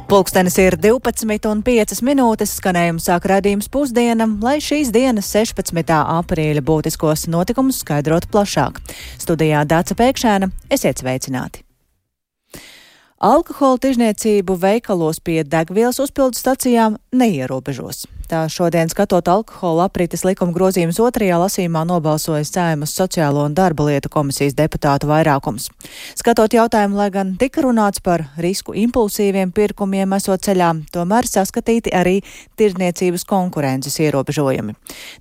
Pulkstenis ir 12:05, skanējumu sāk raidījums Pusdiena, lai šīs dienas 16. aprīļa būtiskos notikumus skaidrotu plašāk. Studijā Dāca Pēkšēna, esiet sveicināti! Alkohola tirzniecību veikalos pie degvielas uzpildes stacijām neierobežos. Tā šodien, skatot alkohola aprites likuma grozījumus otrajā lasījumā, nobalsoja Saeimas Sociālo un darba lietu komisijas deputātu vairākums. Skatot jautājumu, lai gan tika runāts par risku impulsīviem pirkumiem esot ceļā, tomēr saskatīti arī tirzniecības konkurences ierobežojumi.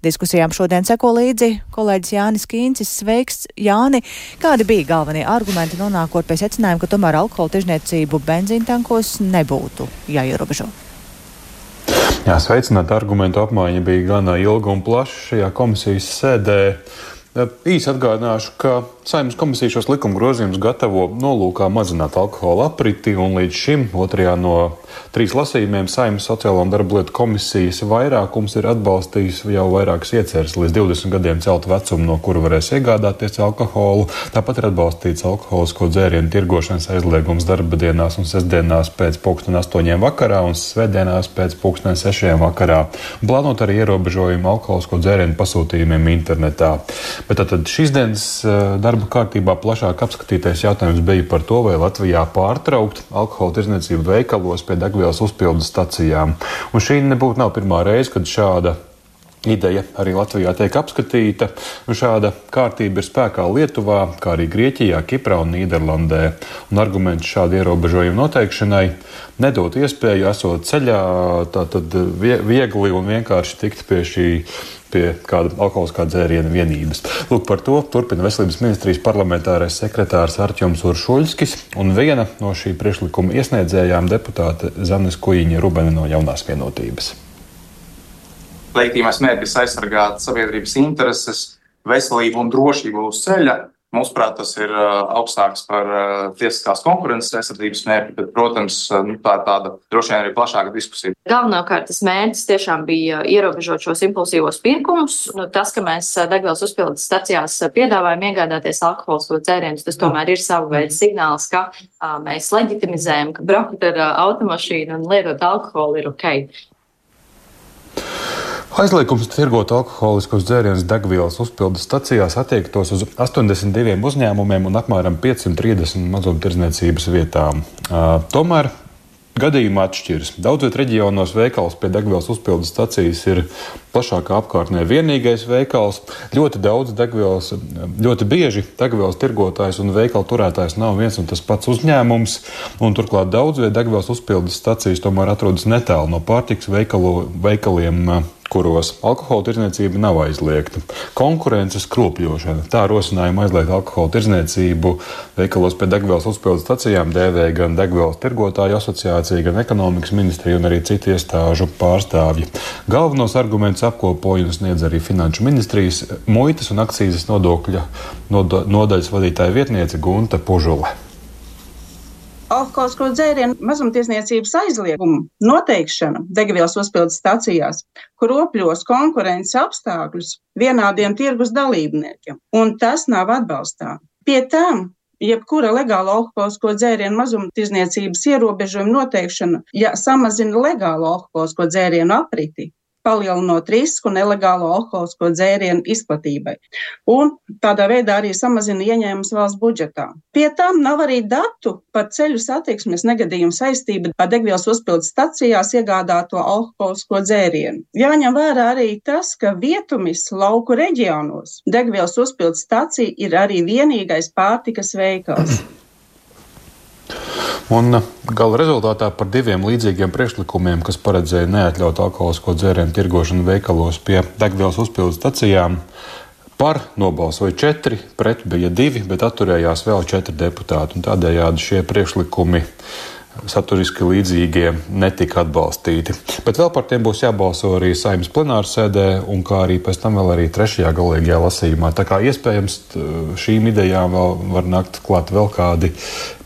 Diskusijām šodien seko līdzi kolēģis Jānis Kīncis. Sveiks, Jāni! Kādi bija galvenie argumenti nonākot pie secinājuma, ka tomēr alkohola tirzniecību benzīntankos nebūtu jāierobežo? Jā, sveicināt, argumentu apmaiņa bija gana ilga un plaša šajā komisijas sēdē. Īsi atgādināšu, ka Saeimas komisija šos likuma grozījumus gatavo nolūkā mazināt alkohola apriti, un līdz šim otrajā no 3 lasījumiem Saeimas Sociālo un darba lietu komisijas vairākums ir atbalstījis jau vairākas ieceres līdz 20 gadiem celt vecumu, no kura varēs iegādāties alkoholu. Tāpat ir atbalstīts alkoholisko dzērienu tirgošanas aizliegums darba dienās un sestdienās pēc 8:00 vakarā un svētdienās pēc 6:00 vakarā. Plānot arī ierobežojumu alkoholisko dzērienu pasūtījumiem internetā. Bet tātad šīs dienas darba kārtībā plašāk apskatītais jautājums bija par to, vai Latvijā pārtraukt alkohola tirzniecību veikalos pie degvielas uzpildes stacijām. Un šī nebūtu nav pirmā reize, kad šāda ideja arī Latvijā tiek apskatīta. Un šāda kārtība ir spēkā Lietuvā, kā arī Grieķijā, Kiprā un Nīderlandē. Un argumenti šādu ierobežojumu noteikšanai nedot iespēju esot ceļā, tātad viegli un vienkārši tikt pie kāda alkoholiskā dzēriena vienības. Lūk, par to turpina Veselības ministrijas parlamentārais sekretārs Artjoms Uršuļskis un viena no šī priekšlikuma iesniedzējām deputāte Zane Skujiņa-Rubene no Jaunās vienotības. Leģitīmais mērķis aizsargāt sabiedrības intereses, veselību un drošību uz ceļa. Mūsuprāt, tas ir augstāks par tiesiskās konkurences aizsardzības mērķi, bet, protams, tā ir tāda droši vien arī plašāka diskusija. Galvenokārt tas mērķis tiešām bija ierobežot šos impulsīvos pirkumus. Tas, ka mēs degvielas uzpildes stacijās piedāvājam iegādāties alkoholisko dzērienus, tas tomēr ir sava veida signāls, ka mēs leģitimizējam, ka braukt ar automašīnu un lietot alkoholu ir ok. Aizliegums tirgot alkoholiskos dzērienus degvielas uzpildes stacijās attiektos uz 82 uzņēmumiem un apmēram 530 mazumtirdzniecības vietām. Tomēr gadījumi atšķiras. Daudzviet reģionos veikals pie degvielas uzpildes stacijas ir plašākā apkārtnē vienīgais veikals. Ļoti bieži degvielas tirgotājs un veikala turētājs nav viens un tas pats uzņēmums, un turklāt daudzviet degvielas uzpildes stacijas tomēr atrodas netālu no pārtikas veikaliem, kuros alkohola tirdzniecība nav aizliegta. Konkurences kropļošana. Tā rosinājuma aizliegt alkohola tirdzniecību veikalos pie degvielas uzpildes stacijām dēvē gan degvielas tirgotāju asociācija, gan ekonomikas ministrija un arī citu iestāžu pārstāvji. Galvenos argumentus apkopoja un sniedz arī Finanšu ministrijas muitas un akcīzes nodokļa nodaļas vadītāja vietniece Gunta Pužule. Alkoholisko dzērienu mazumtirdzniecības aizliegumu noteikšana degvielas uzpildes stacijās kropļos konkurences apstākļus vienādiem tirgus dalībniekiem, un tas nav atbalstām. Pie tam, jebkura legāla alkoholisko dzērienu mazumtirdzniecības ierobežojuma noteikšana, ja samazina legālo alkoholisko dzērienu apriti, palielinot risku nelegālo alkoholisko dzērienu izplatībai. Un tādā veidā arī samazina ieņēmumus valsts budžetā. Pie tam nav arī datu par ceļu satiksmes negadījumu saistību ar degvielas uzpildes stacijās iegādāto alkoholisko dzērienu. Jāņem vērā arī tas, ka vietumis lauku reģionos degvielas uzpildes stacija ir arī vienīgais pārtikas veikals. Un gala rezultātā par 2 līdzīgiem priekšlikumiem, kas paredzēja neatļaut alkoholisko dzērienu tirgošanu veikalos pie degvielas uzpildes stacijām, par nobalsoja 4, pret bija 2, bet atturējās vēl 4 deputāti. Un tādējādi šie priekšlikumi saturiski līdzīgie netika atbalstīti. Bet vēl par tiem būs jābalso arī Saeimas plenārsēdē un kā arī pēc tam vēl arī 3. galīgajā lasījumā. Tā kā iespējams šīm idejām vēl var nākt klāt vēl kādi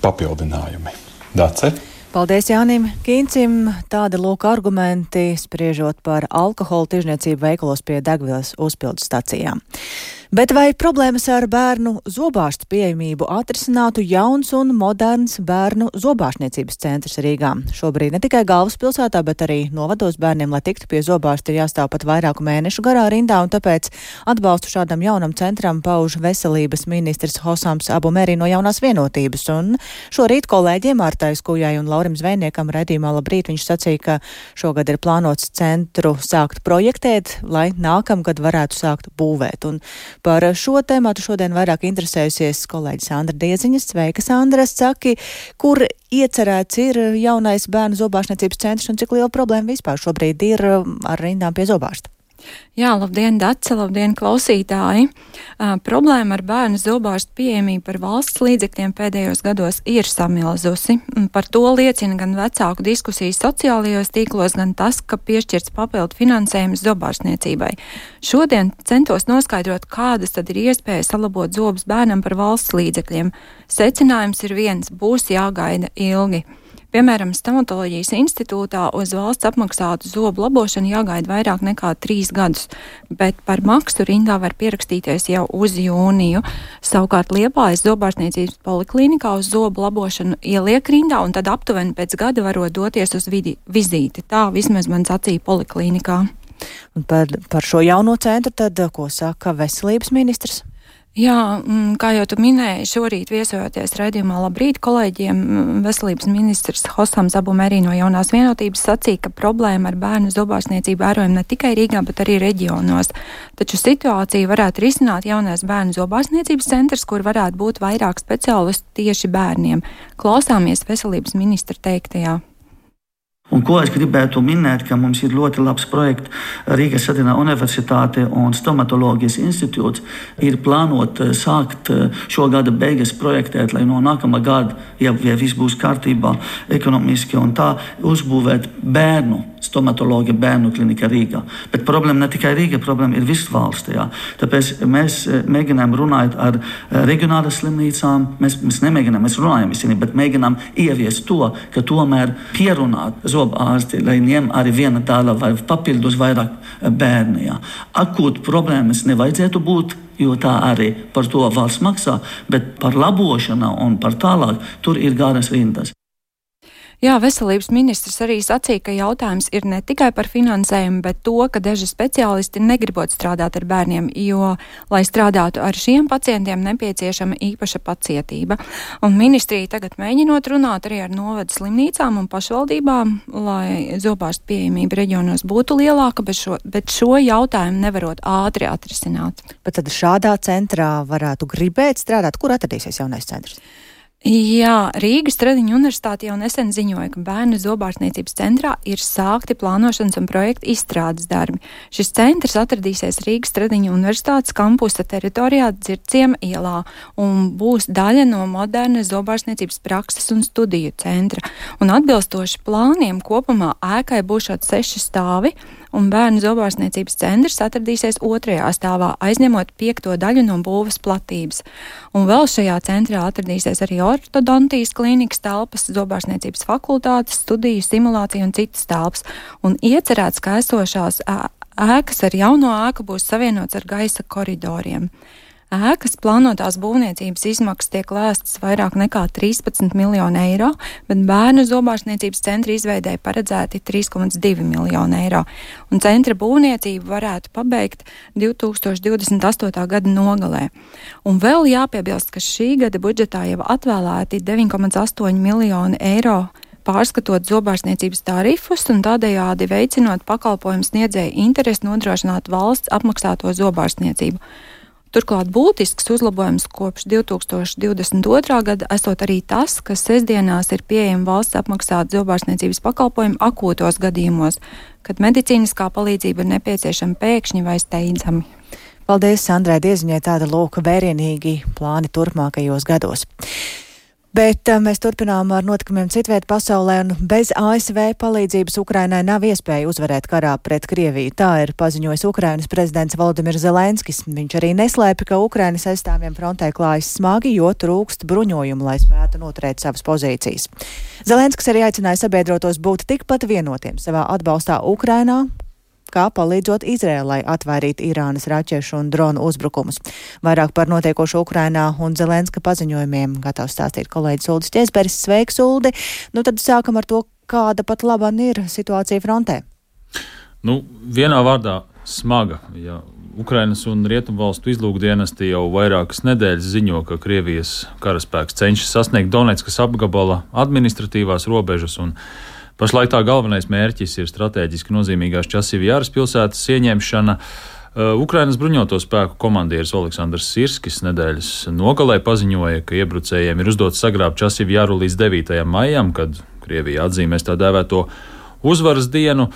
papildinājumi. Dace? Paldies Jānim Kīncim. Tādi lūk argumenti spriežot par alkohola tirzniecību veikalos pie degvielas uzpildes stacijām. Bet vai problēmas ar bērnu zobārstu pieejamību atrisinātu jauns un moderns bērnu zobārstniecības centrs Rīgā? Šobrīd ne tikai galvaspilsētā, bet arī novados bērniem, lai tiktu pie zobārsta, ir jāstāv pat vairāku mēnešu garā rindā, un tāpēc atbalstu šādam jaunam centram pauž veselības ministrs Hosams Abu Meri no Jaunās vienotības. Un šorīt kolēģiem Mārtai Skujai un Laurim Zvejniekam raidījumā Labrīt viņš sacīja, ka šogad ir plānots centru sākt projektēt, lai nākamgad varētu sākt būvēt. Un par šo tēmatu šodien vairāk interesējusies kolēģi Sandra Dieziņas. Sveika, Sandra, saki, kur iecerēts ir jaunais bērnu zobārstniecības centrs un cik liela problēma vispār šobrīd ir ar rindām pie zobārsta? Jā, labdien, Dace, labdien, klausītāji! Problēma ar bērnu zobārstu pieejamību par valsts līdzekļiem pēdējos gados ir samilzusi. Par to liecina gan vecāku diskusijas sociālajos tīklos, gan tas, ka piešķirts papildu finansējums zobārstniecībai. Šodien centos noskaidrot, kādas tad ir iespējas salabot zobus bērnam par valsts līdzekļiem. Secinājums ir viens – būs jāgaida ilgi. Piemēram, Stomatoloģijas institūtā uz valsts apmaksātu zobu labošanu jāgaida vairāk nekā 3 gadus, bet par maksu rindā var pierakstīties jau uz jūniju. Savukārt Liepājas zobārstniecības poliklinikā uz zobu labošanu ieliek rindā un tad aptuveni pēc gada varot doties uz vizīti. Tā vismaz man sacīja poliklinikā. Un par šo jauno centru tad, ko saka veselības ministrs? Jā, kā jau tu minēji, šorīt viesojoties raidījumā Labrīt kolēģiem, veselības ministrs Hosams Abu Meri no Jaunās vienotības sacīja, ka problēma ar bērnu zobārstniecību vērojama ne tikai Rīgā, bet arī reģionos. Taču situāciju varētu risināt jaunais bērnu zobārstniecības centrs, kur varētu būt vairāk speciālistu tieši bērniem. Klausāmies veselības ministra teiktajā. Un ko es gribētu minēt, ka mums ir ļoti labs projekts Rīgas Satinā Universitāte un Stomatoloģijas institūts ir plānot sākt šo gada beigas projektēt, lai no nākamā gada, ja viss būs kārtībā ekonomiski un tā, uzbūvēt bērnu stomatoloģija bērnu klinika Rīgā. Bet problēma ne tikai Rīga, problēma ir viss valsts. Jā. Tāpēc mēs mēģinām runāt ar reģionālas slimnīcām, mēs nemēģinām, mēs runājam visiem, bet mēģinām ieviest to, ka tomēr pierunāt zobārsti, lai ņem arī viena tāla vai papildus vairāk bērni. Jā. Akūt problēmas nevajadzētu būt, jo tā arī par to valsts maksā, bet par labošanu un par tālāk tur ir garas rindas. Jā, veselības ministrs arī sacīja, ka jautājums ir ne tikai par finansējumu, bet to, ka daži speciālisti negribot strādāt ar bērniem, jo, lai strādātu ar šiem pacientiem, nepieciešama īpaša pacietība. Un ministrija tagad mēģinot runāt arī ar novadu slimnīcām un pašvaldībām, lai zobārstu pieejamība reģionos būtu lielāka, bet šo jautājumu nevarot ātri atrisināt. Bet tad šādā centrā varētu gribēt strādāt, kur atradīsies jaunais centrs? Jā, Rīgas Stradiņu universitāte jau nesen ziņoja, ka bērnu zobārstniecības centrā ir sākti plānošanas un projekta izstrādes darbi. Šis centrs atradīsies Rīgas Stradiņu universitātes kampusa teritorijā Dzirciema ielā un būs daļa no modernas zobārstniecības prakses un studiju centra. Un atbilstoši plāniem kopumā ēkai būšot 6 stāvi, un bērnu zobārstniecības centrs atradīsies 2. stāvā, aizņemot 5. daļu no būves platības. Un vēl šajā centrā atradīsies arī ortodontijas klīnikas telpas, zobārstniecības fakultātes, studiju, simulācija un citas telpas. Un iecerēts, ka esošās ēkas ar jauno ēku būs savienots ar gaisa koridoriem. Ēkas plānotās būvniecības izmaksas tiek lēstas vairāk nekā 13 miljonu eiro, bet bērnu zobārstniecības centra izveidē paredzēti 3,2 miljonu eiro. Un centra būvniecību varētu pabeigt 2028. gada nogalē. Un vēl jāpiebilst, ka šī gada budžetā jau atvēlēti 9,8 miljonu eiro, pārskatot zobārstniecības tarifus un tādējādi veicinot pakalpojumu sniedzēju interesi nodrošināt valsts apmaksāto zobārstniecību. Turklāt būtisks uzlabojums kopš 2022. gada esot arī tas, ka sestdienās ir pieejama valsts apmaksāta zobārstniecības pakalpojumi akūtos gadījumos, kad medicīniskā palīdzība ir nepieciešama pēkšņi vai steidzami. Paldies Sandrai Dieziņai, tāda lūk vērienīgi plāni turpmākajos gados. Bet mēs turpinām ar notikumiem citviet pasaulē, un bez ASV palīdzības Ukrainai nav iespēja uzvarēt karā pret Krieviju. Tā ir paziņojis Ukrainas prezidents Volodimirs Zelenskis. Viņš arī neslēpa, ka Ukrainas aizstāvjiem frontē klājas smagi, jo trūkst bruņojumu, lai spētu noturēt savas pozīcijas. Zelenskis arī aicināja sabiedrotos būt tikpat vienotiem savā atbalstā Ukrainā, kā palīdzot Izrēlai atvairīt Irānas raķešu un dronu uzbrukumus. Vairāk par notiekošo Ukrainā un Zelenska paziņojumiem gatavs stāstīt kolēģis Uldis Ķezberis. Sveiks, Uldi! Nu tad sākam ar to, kāda pat laban ir situācija frontē. Vienā vārdā smaga, ja Ukrainas un Rietumvalstu izlūkdienesti jau vairākas nedēļas ziņo, ka Krievijas karaspēks cenšas sasniegt Donetskas apgabala administratīvās robežas, un pašlaik tā galvenais mērķis ir strateģiski nozīmīgās Časivjaras pilsētas ieņemšana. Ukrainas bruņoto spēku komandieris Oleksandrs Sirskis nedēļas nogalē paziņoja, ka iebrucējiem ir uzdots sagrābt Časivjaru līdz 9. maijam, kad Krievija atzīmēs tā dēvēto uzvaras dienu.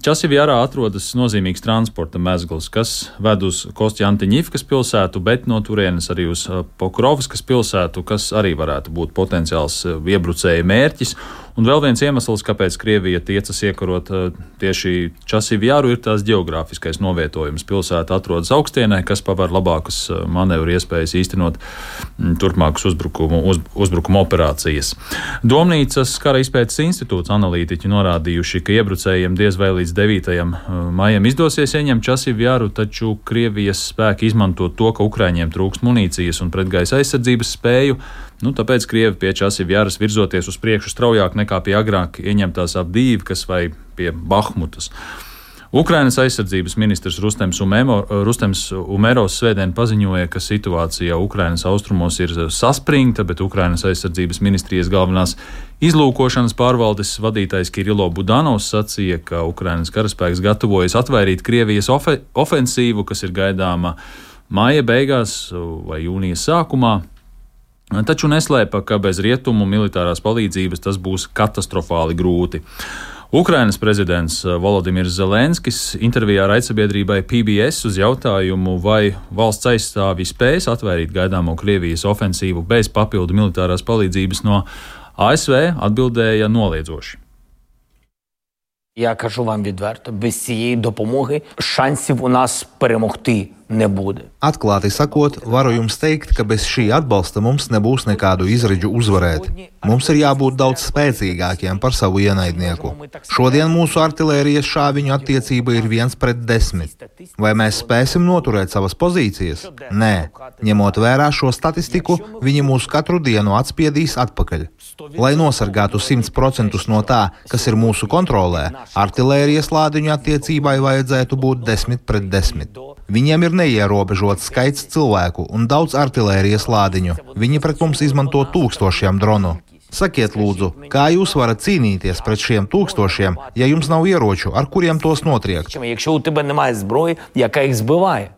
Časivjarā atrodas nozīmīgs transporta mezgls, kas ved uz Kostjantiņivkas pilsētu, bet no turienes arī uz Pokrovskas pilsētu, kas arī varētu būt potenciāls iebrucēja mērķis. Un vēl viens iemesls, kāpēc Krievija tiecas iekarot tieši Časivjaru, ir tās geogrāfiskais novietojums. Pilsēta atrodas augstienē, kas paver labākas manevru iespējas īstenot turpmākas uzbrukuma operācijas. Domnīcas kara izpētes institūts analītiķi norādījuši, ka iebrucējiem diez vai līdz 9. maijam izdosies ieņemt Časivjaru, taču Krievijas spēki izmanto to, ka Ukraiņiem trūkst munīcijas un pretgaisa aizsardzības spēju. Tāpēc Krievi pie Časivjaras virzoties uz priekšu straujāk nekā pie agrāk ieņemtās Avdīvkas vai pie Bahmutas. Ukrainas aizsardzības ministrs Rustems Umerovs svētdien paziņoja, ka situācija Ukrainas austrumos ir saspringta, bet Ukrainas aizsardzības ministrijas galvenās izlūkošanas pārvaldes vadītājs Kirilo Budanovs sacīja, ka Ukrainas karaspēks gatavojas atvairīt Krievijas ofensīvu, kas ir gaidāma māja beigās vai jūnija sākumā. Taču neslēpa, ka bez rietumu militārās palīdzības tas būs katastrofāli grūti. Ukrainas prezidents Volodimirs Zelenskis intervijā raidsabiedrībai PBS uz jautājumu, vai valsts aizstāvji spēs atvairīt gaidāmo Krievijas ofensīvu bez papildu militārās palīdzības no ASV, atbildēja noliedzoši. Я кажу вам відверто, без цієї допомоги шансів у нас перемогти не буде. Atklāti sakot, varu jums teikt, ka bez šī atbalsta mums nebūs nekādu izredzu uzvarēt. Mums ir jābūt daudz spēcīgākiem par savu ienaidnieku. Šodien mūsu artilērijas šāviņu attiecība ir 1:10. Vai mēs spēsim noturēt savas pozīcijas? Nē. Ņemot vērā šo statistiku, viņi mūs katru dienu atspiedīs atpakaļ. Lai nosargātu 100% no tā, kas ir mūsu kontrolē, artilērijas lādiņu attiecībai vajadzētu būt 10:10. Viņiem ir neierobežots skaits cilvēku un daudz artilērijas lādiņu. Viņi pret mums izmanto 1000 dronu. Sakiet lūdzu, kā jūs varat cīnīties pret šiem 1000, ja jums nav ieroču, ar kuriem tos notriekt? Якщо у тебе немає зброї, яка їх збиває.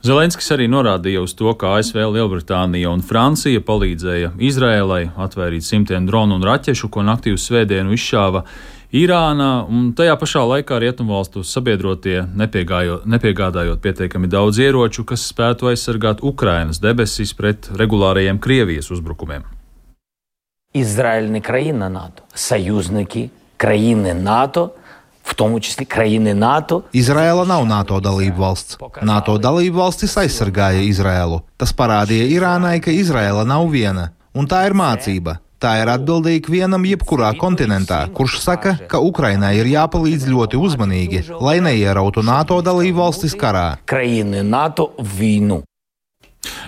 Zelenskis arī norādīja uz to, ka ASV, Lielbritānija un Francija palīdzēja Izrēlai atvairīt simtiem dronu un raķešu, ko naktī uz svētdienu izšāva Irāna, un tajā pašā laikā Rietumvalstu sabiedrotie nepiegādājot pietiekami daudz ieroču, kas spētu aizsargāt Ukrainas debesis pret regulārajiem Krievijas uzbrukumiem. Ізраїль не країна НАТО, союзники країни НАТО, в тому числі країни НАТО. Izraela nav NATO dalība valsts. NATO dalība valstis aizsargāja Izraelu. Tas parādīja Irānai, ka Izraela nav viena, un tā ir mācība. Tā ir atbildīga vienam jebkurā kontinentā, kurš saka, ka Ukrainai ir jāpalīdz ļoti uzmanīgi, lai neierautu NATO dalību valstis karā. Країни НАТО в війну.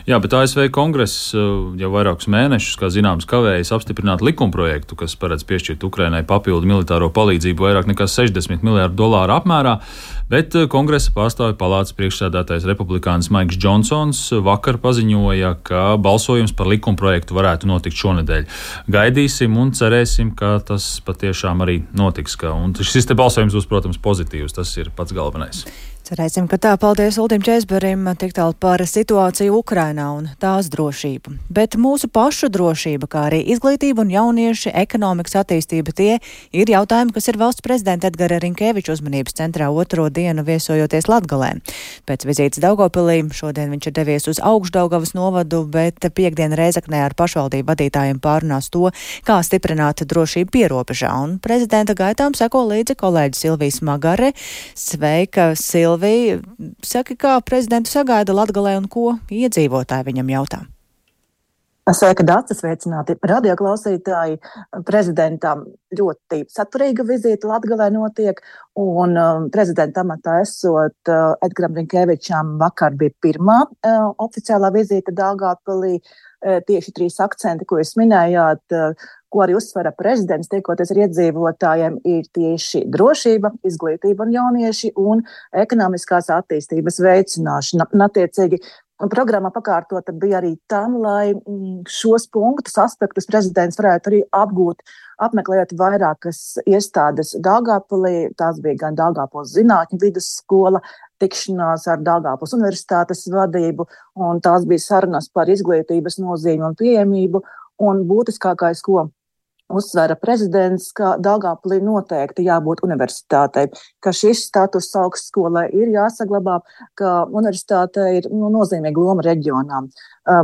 Jā, bet ASV kongress jau vairākus mēnešus, kā zināms, kavējas apstiprināt likumprojektu, kas paredz piešķirt Ukrainai papildu militāro palīdzību vairāk nekā $60 miljārdu apmērā, bet kongresa pārstāvju palātas priekšsēdētājs republikānis Maiks Džonsons vakar paziņoja, ka balsojums par likumprojektu varētu notikt šonedēļ. Gaidīsim un cerēsim, ka tas patiešām arī notiks. Un šis te balsojums būs, protams, pozitīvs, tas ir pats galvenais. Cerēsim, ka tā. Paldies Uldim Ķezberim tik tālu par situāciju Ukrainā un tās drošību. Bet mūsu pašu drošība, kā arī izglītība un jaunieši, ekonomikas attīstība, tie ir jautājumi, kas ir valsts prezidenta Edgara Rinkeviča uzmanības centrā otro dienu viesojoties Latgalē. Pēc vizītes Daugavpilī šodien viņš ir devies uz Augšdaugavas novadu, bet piekdien Rēzaknē ar pašvaldību vadītājiem pārunās to, kā stiprināt drošību pierobežā. Un prezidenta gaitām seko līdzi kolēģi Silvija Smagare. Sveika, Silvija! Saki, kā prezidentu sagaida Latgalē un ko iedzīvotāji viņam jautā? Sveika, Dācis, sveicināti radioklausītāji. Prezidentam ļoti saturīga vizīte Latgalē notiek, un prezidenta amatā esot Edgaram Rinkevičam vakar bija pirmā oficiālā vizīte Daugavpilī. Tieši 3 akcenti, ko jūs minējāt, ko arī uzsvera prezidents, tiekoties ar iedzīvotājiem, ir tieši drošība, izglītība un jaunieši un ekonomiskās attīstības veicināšana. Attiecīgi, programma pakārtota bija arī tam, lai šos punktus, aspektus prezidents varētu arī apgūt, apmeklējot vairākas iestādes Daugavpilī. Tās bija gan Daugavpils zinātņu vidusskola, tikšanās ar Daugavpils universitātes vadību, un tās bija sarunas par izglītības nozīmi un pieejamību. Un būtiskākais, ko uzsvēra prezidents, ka Daugavpilī noteikti jābūt universitātei, ka šis status augstskolai ir jāsaglabā, ka universitāte ir nozīmīga loma reģionā.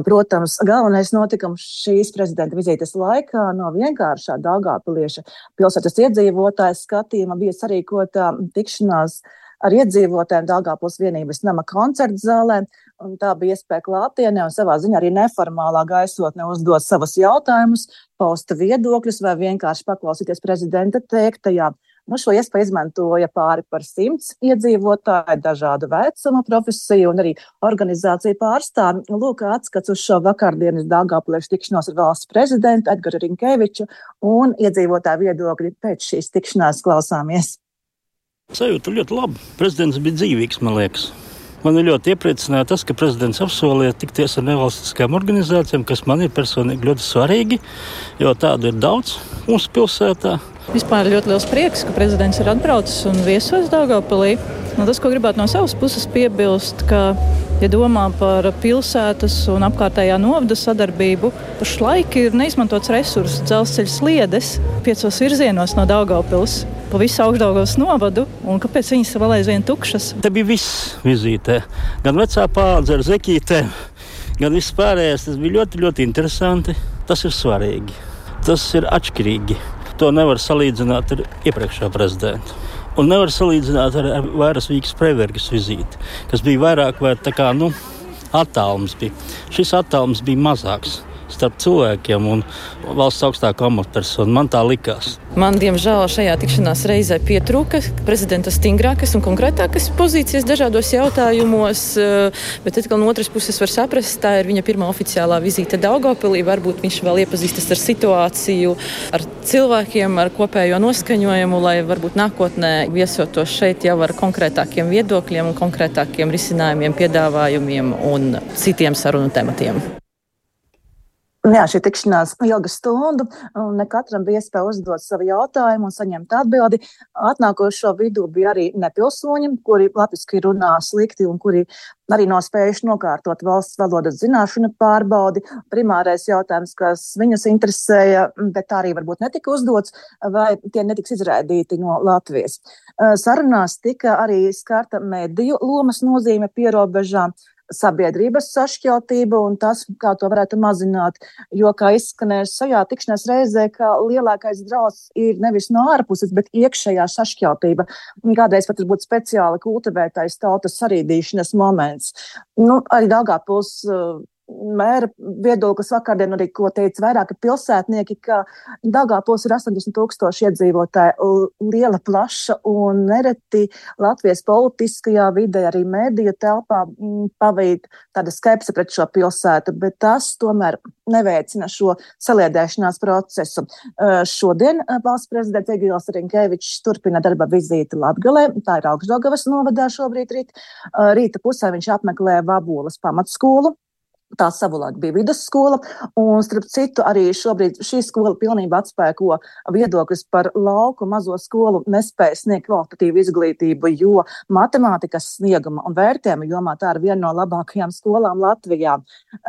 Protams, galvenais notikums šīs prezidenta vizītes laikā no vienkāršā daugavpilieša pilsētas iedzīvotājas skatījuma bija sarīkota tikšanās ar iedzīvotājiem Daugavpils vienības nama koncerta zālē, un tā bija iespēja klātienē un savā ziņā arī neformālā gaisotnē uzdot savus jautājumus, pausta viedokļus vai vienkārši paklausīties prezidenta teiktajā. Šo iespēju izmantoja pāri par 100 iedzīvotāju, dažādu vecumu, profesiju un arī organizāciju pārstāvi. Lūk, atskats uz šo vakardienas Daugavpiliešu tikšanos ar valsts prezidentu Edgaru Rinkeviču un iedzīvotāju viedokļi pēc šīs tikšanās klausāmies. Sajūta ļoti laba. Prezidents bija dzīvīgs, man liekas. Man ir ļoti iepriecināja tas, ka prezidents apsolīja tikties ar nevalstiskām organizācijām, kas man ir personīgi ļoti svarīgi, jo tādu ir daudz mūsu pilsētā. Vispār ļoti liels prieks, ka prezidents ir atbraucis un viesos Daugavpilī. Tas, ko gribētu no savas puses piebilst, ka, ja domā par pilsētas un apkārtējā novada sadarbību, pašlaik ir neizmantots resurss dzelzceļa sliedes 5 virzienos no Daugavpils pa visu Augšdaugavas novadu, un kāpēc viņas vēl aizvien tukšas? Te bija viss vizītē. Gan vecā paudze ar zeķītēm, gan viss pārējais. Tas bija ļoti, ļoti interesanti. Tas ir svarīgi. Tas ir atšķirīgi. To nevar salīdzināt ar iepriekšējā prezidentu. Un nevar salīdzināt ar Vairas Vīgas Preibergas vizīti, kas bija vairāk vai tā kā, attālums bija. Šis attālums bija mazāks starp cilvēkiem un valsts augstāko amatpersonu. Man tā likās. Man, diemžēl, šajā tikšanās reizē pietrūka prezidenta stingrākas un konkrētākas pozīcijas dažādos jautājumos, bet atkal no otras puses var saprast, tā ir viņa pirmā oficiālā vizīte Daugavpilī. Varbūt viņš vēl iepazīstas ar situāciju, ar cilvēkiem, ar kopējo noskaņojumu, lai varbūt nākotnē viesotos šeit jau ar konkrētākiem viedokļiem un konkrētākiem risinājumiem, piedāvājumiem un citiem sarunu tematiem. Jā, šī tikšanās ilga stundu, un ne katram bija iespēja uzdot savu jautājumu un saņemt atbildi. Atnākošo vidū bija arī nepilsoņi, kuri latviski runā slikti un kuri arī nav spējuši nokārtot valsts valodas zināšanu pārbaudi. Primārais jautājums, kas viņus interesēja, bet tā arī varbūt netika uzdots, vai tie netiks izraidīti no Latvijas. Sarunās tika arī skarta mediju lomas nozīme pierobežām, sabiedrības sašķeltība un tas, kā to varētu mazināt, jo, kā izskanēs šajā tikšanās reizē, ka lielākais draudz ir nevis no ārpuses, bet iekšējā sašķeltība. Kādreiz pat ir būt speciāli kultivētais tautas sarīdīšanas moments. Arī Daugavpils mēra viedoklis vakardien arī, ko teica vairāki pilsētnieki, ka Daugavpils ir 80,000 iedzīvotāji, liela, plaša un nereti Latvijas politiskajā vidē, arī mediju telpā pavīd tāda skepse pret šo pilsētu, bet tas tomēr neveicina šo saliedēšanās procesu. Šodien valsts prezidents Egils Rinkevičs turpina darba vizīti Latgalē, tā ir Augšdaugavas novadā šobrīd rīta pusē viņš apmeklē Vaboles pamatskolu. Tā savulaik bija vidusskola, un starp citu arī šobrīd šī skola pilnībā atspēko viedokļus par lauku mazo skolu nespēja sniegt kvalitatīvu izglītību, jo matemātikas snieguma un vērtējuma jomā tā ir viena no labākajām skolām Latvijā.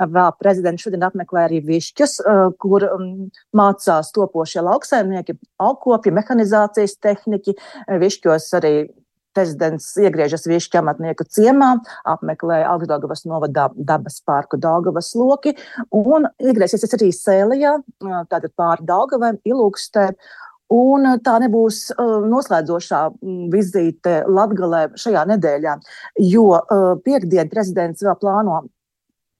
Vēl prezidents šodien apmeklē arī Višķus, kur mācās topošie lauksaimnieki, augkopji, mehanizācijas tehniķi. Višķos arī prezidents iegriežas Višķu amatnieku ciemā, apmeklē Augšdaugavas novadā dabas parku Daugavas loki un iegriezīsies arī Sēlijā, tātad pāri Daugavai, Ilūkstē. Un tā nebūs noslēdzošā vizīte Latgalē šajā nedēļā, jo piektdien prezidents vēl plāno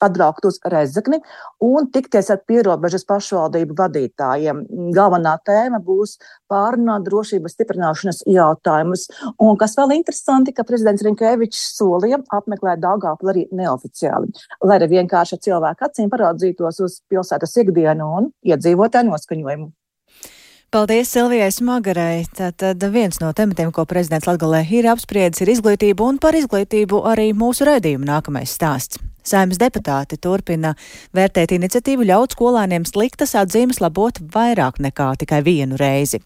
atbraukt uz Rēzekni un tikties ar pierobežas pašvaldību vadītājiem. Galvenā tēma būs pārunāt drošības stiprināšanas jautājumus. Un kas vēl interesanti, ka prezidents Rinkevičs solīja apmeklēt Daugavpili arī neoficiāli, lai arī vienkārši cilvēku acīm paraudzītos uz pilsētas ikdienu un iedzīvotāju noskaņojumu. Paldies Silvijai Smagarai. Tātad viens no tematiem, ko prezidents Latgalē ir apspriedis, ir izglītība, un par izglītību arī mūsu raidījuma nākamais stāsts. Saeimas deputāti turpina vērtēt iniciatīvu ļaut skolēniem sliktas atzīmes labot vairāk nekā tikai vienu reizi.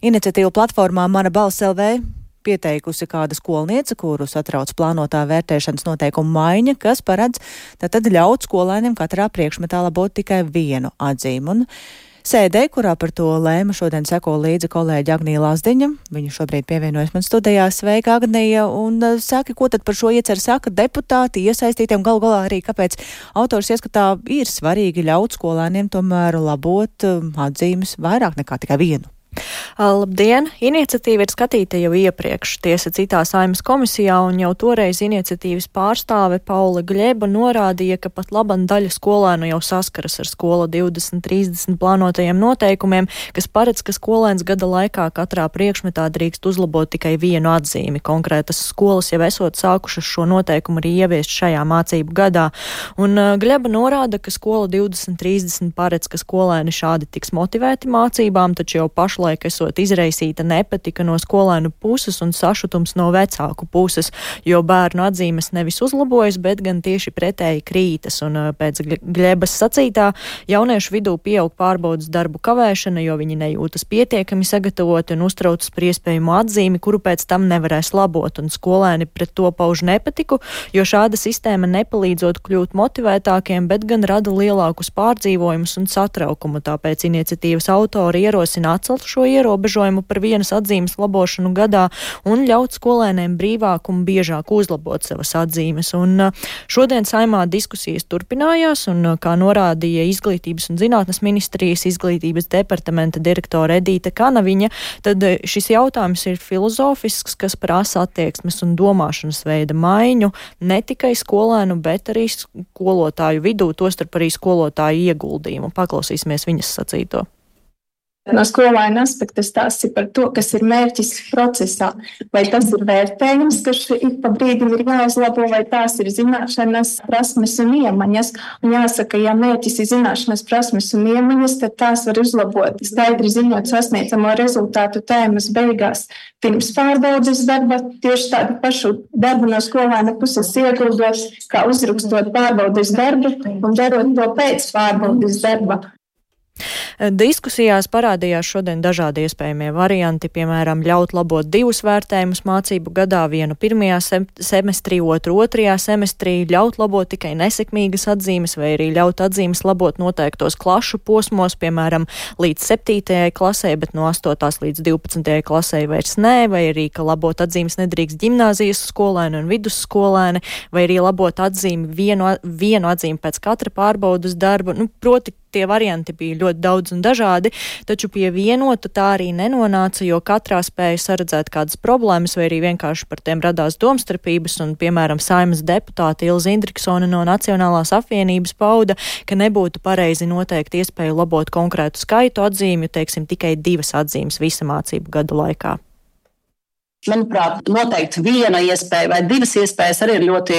Iniciatīvu platformā Mana balss LV pieteikusi kāda skolniece, kuru satrauc plānotā vērtēšanas noteikuma maiņa, kas paredz tātad ļaut skolēniem katrā priekšmetā labot tikai vienu atzīmi. Un sēdē, kurā par to lēma, šodien seko līdzi kolēģi Agnija Lazdiņa. Viņa šobrīd pievienojas man studijā. Sveika, Agnija, un saki, ko tad par šo ieceru saka deputāti, iesaistītiem, galu galā arī, kāpēc autors ieskatā ir svarīgi ļaut skolēniem tomēr labot atzīmes vairāk nekā tikai vienu. Labdien! Iniciatīva ir skatīta jau iepriekš, tiesa citā Saeimas komisijā, un jau toreiz iniciatīvas pārstāve Paula Gļeba norādīja, ka pat laban daļa skolēnu jau saskaras ar skola 2030 plānotajiem noteikumiem, kas paredz, ka skolēns gada laikā katrā priekšmetā drīkst uzlabot tikai vienu atzīmi. Konkrētas skolas jau esot sākušas šo noteikumu arī ieviest šajā mācību gadā. Un Gļeba norāda, ka skola 2030 paredz, ka skolēni šādi tiks motivēti mācībām, taču jau pašlaik esot izraisīta nepatika no skolēnu puses un sašutums no vecāku puses, jo bērnu atzīmes nevis uzlabojas, bet gan tieši pretēji krītas. Un pēc Gļebas sacītā jauniešu vidū pieaug pārbaudas darbu kavēšana, jo viņi nejūtas pietiekami sagatavoti un uztraucas par iespējamu atzīmi, kuru pēc tam nevarēs labot. Un skolēni pret to pauž nepatiku, jo šāda sistēma nepalīdzot kļūt motivētākiem, bet gan rada lielākus pārdzīvojumus un satraukumu. Tāpēc iniciatīvas autori ierosina atcelt šo ierobežojumu par vienas atzīmes labošanu gadā un ļaut skolēniem brīvāk un biežāk uzlabot savas atzīmes. Un šodien Saeimā diskusijas turpinājās, un kā norādīja Izglītības un zinātnes ministrijas izglītības departamenta direktore Edīte Kanaviņa, tad šis jautājums ir filozofisks, kas prasa attieksmes un domāšanas veida maiņu ne tikai skolēnu, bet arī skolotāju vidū, tostarp arī skolotāju ieguldījumu. Paklausīsimies viņas sacīto. No skolēna aspekta stāsts ir par to, kas ir mērķis procesā. Vai tas ir vērtējums, kas ik pa brīdim ir jāuzlabo, vai tās ir zināšanas, prasmes un iemaņas. Un jāsaka, ja mērķis ir zināšanas, prasmes un iemaņas, tad tās var uzlabot. Skaidri zinot sasniedzamo rezultātu tēmas beigās pirms pārbaudes darba, tieši tādu pašu darbu no skolēna puses ieguldot, kā uzrakstot pārbaudes darbu un darot to pēc pārbaudes darba. Diskusijās parādījās šodien dažādi iespējamie varianti, piemēram, ļaut labot 2 vērtējumus mācību gadā, vienu 1. semestrī, otru 2. semestrī, ļaut labot tikai nesekmīgas atzīmes, vai arī ļaut atzīmes labot noteiktos klašu posmos, piemēram, līdz 7. klasē, bet no 8. līdz 12. klasē vairs nē, vai arī, ka labot atzīmes nedrīkst ģimnāzijas skolēni un vidusskolēni, vai arī labot atzīmi vienu atzīmi pēc katra pārbaudas darba. Proti, tie varianti bija ļoti daudz un dažādi, taču pie vienota tā arī nenonāca, jo katrā spēja saredzēt kādas problēmas, vai arī vienkārši par tiem radās domstarpības, un, piemēram, Saeimas deputāte Ilze Indriksone no Nacionālās apvienības pauda, ka nebūtu pareizi noteikt iespēju labot konkrētu skaitu atzīmju, teiksim, tikai 2 atzīmes visa mācību gada laikā. Manuprāt, noteikti viena iespēja vai 2 iespējas arī ir ļoti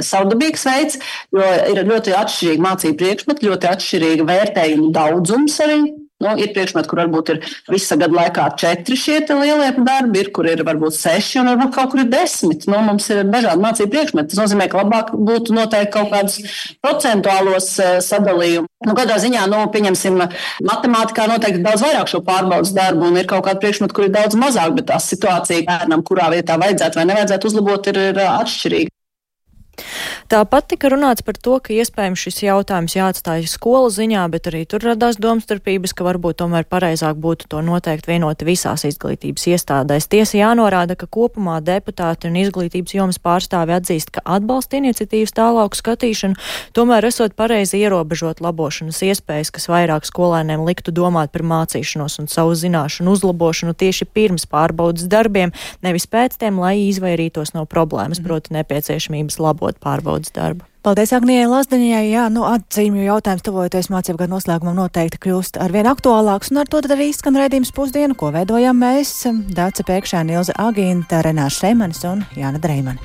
savdabīgs veids, jo ir ļoti atšķirīgi mācību priekšmeti, ļoti atšķirīga vērtējumu daudzums arī. Ir priekšmeti, kur varbūt ir visa gada laikā 4 šie lielie darbi, kur ir varbūt 6 un varbūt kaut kur ir 10. Mums ir dažādi mācību priekšmeti. Tas nozīmē, ka labāk būtu noteikti kaut kādus procentuālos sadalījumus. Kādā ziņā, pieņemsim, matemātikā noteikti daudz vairāk šo pārbaudas darbu un ir kaut kāda priekšmeta, kur ir daudz mazāk, bet tā situācija bērnam, kurā vietā vajadzētu vai nevajadzētu uzlabot, ir atšķirīga. Tāpat tika runāts par to, ka iespējams šis jautājums jāatstāj skolu ziņā, bet arī tur radās domstarpības, ka varbūt tomēr pareizāk būtu to noteikt vienoti visās izglītības iestādēs. Tiesa jānorāda, ka kopumā deputāti un izglītības jomas pārstāvi atzīst, ka atbalsta iniciatīvas tālāku skatīšanu, tomēr esot pareizi ierobežot labošanas iespējas, kas vairāk skolēniem liktu domāt par mācīšanos un savu zināšanu uzlabošanu tieši pirms pārbaudas darbiem, nevis pēc tiem, lai izvairītos no problēmas, proti nepieciešamības labot pārbaudas darbu. Paldies Agnijai Lazdiņai. Jā, atzīmju jautājums tuvojoties mācību gadu noslēgumam noteikti kļūst arvien aktuālāks, un ar to tad arī izskan raidījums Pusdienu, ko veidojam mēs, Dāca Pēkšēna, Ilze Agīnta, Renāša Šeimanis un Jāna Dreimani.